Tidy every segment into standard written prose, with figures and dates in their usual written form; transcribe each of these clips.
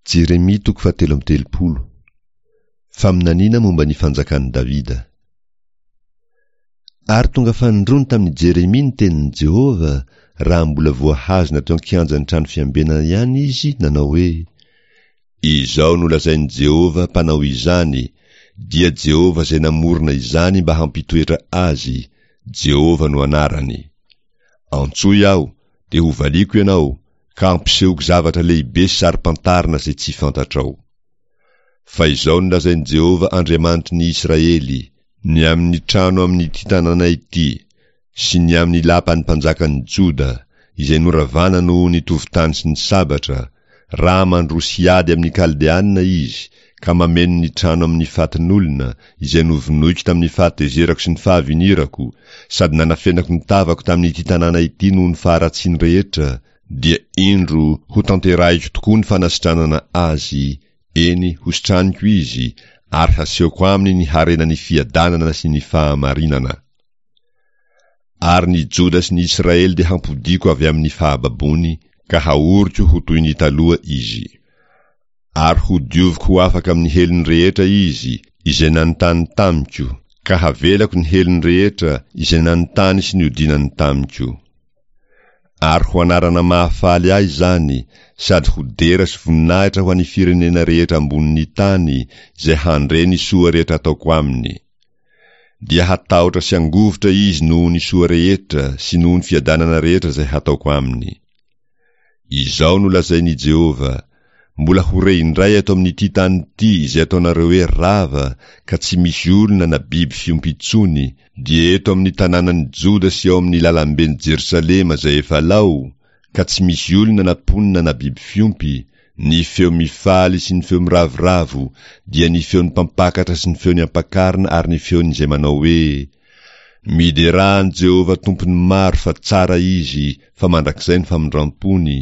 Jeremia toko fahatelo amby telopolo. Faminaniana momba ny fanjakan'i Davida. Ary tonga fanindroany tamin'i Jeremia ny tenin'i Jehovah, raha mbola voahazona teo an-kianjan'ny trano fiambenana ihany izy, nanao hoe, Izao no lazain'i Jehovah Mpanao izany, dia Jehovah izay namorona izany mba hampitoetra azy, Jehovah no anarany. Antsoy aho, dia hovaliako ianao, ka hampisehoko zavatra lehibe sy saro-pantarina izay tsy fantatrao. Fa izao no lazain'i Jehovah Andriamanitry ny Israely, Ny amin'ny trano amin'ity tanàna ity, sy ny amin'ny lapan'ny mpanjakan'ny Joda, izay noravana noho ny tovon-tany sy ny sabatra, raha mandroso hiady amin'ny Kaldeanina izy, ka mameno ny trano amin'ny fatin'olona, izay novonoiko tamin'ny fahatezerako sy ny fahavinirako, sady nanafenako ny tavako tamin'ity tanàna ity noho ny faharatsiany rehetra, dia indro hotanterahiko tokoa ny fanasitranana azy, eny, hositraniko izy, ary hasehoko aminy ny harenan'ny fiadanana sy ny fahamarinana. Ary ny Joda sy ny Israely dia hampodiako avy amin'ny fahababoany ka haoriko ho toy ny taloha izy. Ary hodioviko ho afaka amin'ny helony rehetra izy, izay nanontany tamiko, ka havelako ny helony rehetra izay nanontany sy niodinany tamiko. Ary ho anarana mahafaly ahy izany, sady ho dera sy voninahitra ho an'ny firenena rehetra ambonin'ny tany izay handre ny soa rehetra ataoko aminy. Dia hatahotra sy hangovitra izy noho ny soa rehetra sy noho ny fiadanana rehetra izay hataoko aminy. Izao no lazain'i Jehovah, Mbola ho re indray eto amin'ity tany ity izay ataonareo hoe rava ka tsy misy olona na biby fiompy intsony, dia eto amin'ny tanànan'i Joda sy ao amin'ny lalamben'i Jerosalema izay efa lao, ka tsy misy olona na mponina na biby fiompy, ny feo mifaly sy ny feo miravoravo, dia ny feon'ny mpampakatra sy ny feon'ny ampakarina ary ny feon'izay manao hoe, Miderà an'i Jehovah Tompon'ny maro fa tsara Izy, fa mandrakizay ny famindram-pony,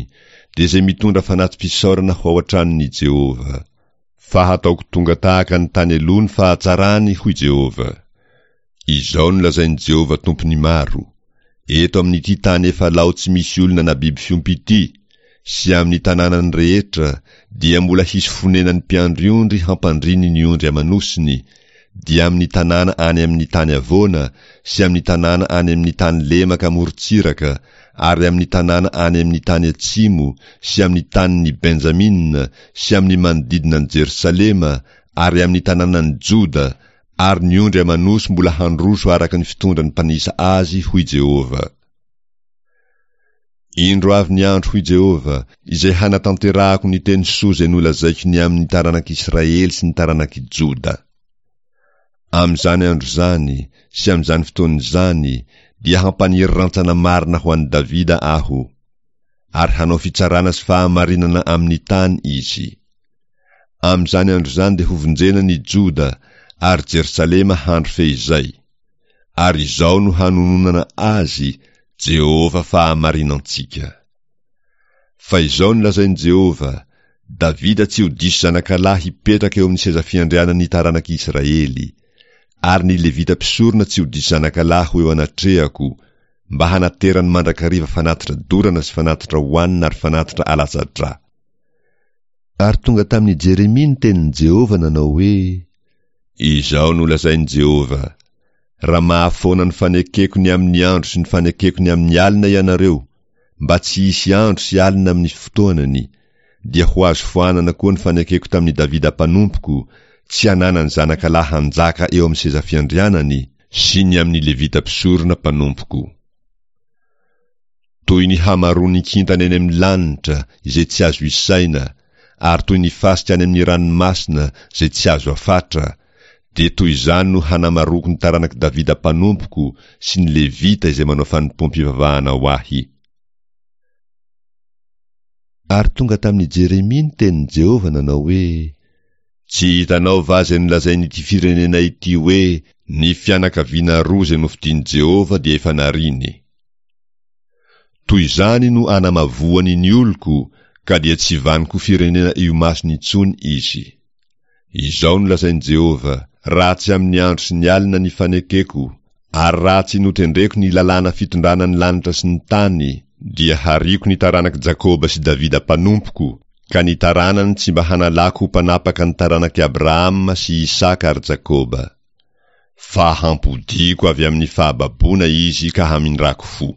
dia izay mitondra fanati-pisaorana ho ao an-tranon'i Jehovah. Fa hataoko tonga tahaka ny tany aloha ny fahatsarany, hoy Jehovah. Izao no lazain'i Jehovah Tompon'ny maro, Eto amin'ity tany efa lao tsy misy olona na biby fiompy ity, sy amin'ny tanànany rehetra, dia mbola hisy fonenan'ny mpiandry ondry hampandriny ny ondry aman'osiny, dia amin'ny tanàna any amin'ny tany havoana sy amin'ny tanàna any amin'ny tany lemaka amorontsiraka ary amin'ny tanàna any amin'ny tany atsimo sy amin'ny tanin'i Benjamina sy amin'ny manodidina an'i Jerosalema ary amin'ny tanànan'i Joda, ary ny ondry aman'osy mbola handroso araka ny fitondran'ny mpanisa azy, hoy Jehovah. Indro avy ny andro, hoy Jehovah, izay hanatanterahako ny teny soa izay nolazaiko ny amin'ny taranak'Israely sy ny taranak'i Joda. Amin'izany andro izany sy amin'izany fotoana izany dia hampaniry rantsana marina ho an'i Davida Aho, ary hanao fitsarana sy fahamarinana amin'ny tany izy. Amin'izany andro izany dia hovonjena ny Joda, ary Jerosalema handry feizay. Ary izao no hanononana azy, Jehovah fahamarinantsika. Fa izao no lazain'i Jehovah, Davida tsy ho diso zanakalahy hipetraka eo amin'ny seza fiandrianan'ny taranak'i Israely, ary ny Levita mpisorona tsy ho diso zanakalahy ho eo anatrehako, mba hanaterany mandrakariva fanatitra dorana sy fanatitra hohanina ary fanatitra alatsa-drà. Ary tonga tamin'i Jeremia ny tenin'i Jehovah nanao hoe, Izao no lazain'i Jehovah, Raha mahafoana ny fanekeko ny amin'ny andro sy ny fanekeko ny amin'ny alina ianareo, mba tsy hisy andro sy alina amin'ny fotoanany, dia ho azo foanana koa ny fanekeko tamin'i Davida mpanompoko, tsy hananany zanakalahy hanjaka eo amin'ny seza fiandrianany, sy ny amin'ny Levita mpisorona mpanompoko. Toy ny hamaroan'ny kintana eny amin'ny lanitra izay tsy azo isaina, ary toy ny fasika any amin'ny ranomasina izay tsy azo afatra, dia toy izany no hanamaroako ny taranak'i Davida mpanompoko sy ny Levita izay manao fanompoam-pivavahana ho ahy. Ary tonga tamin'i Jeremia ny tenin'i Jehovah nanao hoe, Tsy hitanao va izay nolazain'ity firenena ity hoe, 'Ny fianakaviana roa izay nofidin'i Jehovah dia efa nariany'? Toy izany no anamavoany ny oloko, ka dia tsy vanon-ko firenena eo imasony intsony izy. Izao no lazain'i Jehovah, Raha tsy amin'ny andro sy ny alina ny fanekeko, ary raha tsy notendreko ny lalàna fitondrana ny lanitra sy ny tany, dia hariako ny taranak'i Jakoba sy Davida mpanompoko, Ka ny taranany tsy mba hanalako ho mpanapaka ny taranak'i Abrahama sy Isaka ary Jakoba. Fa hampodiako avy amin'ny fahababoana izy ka hamindrako fo.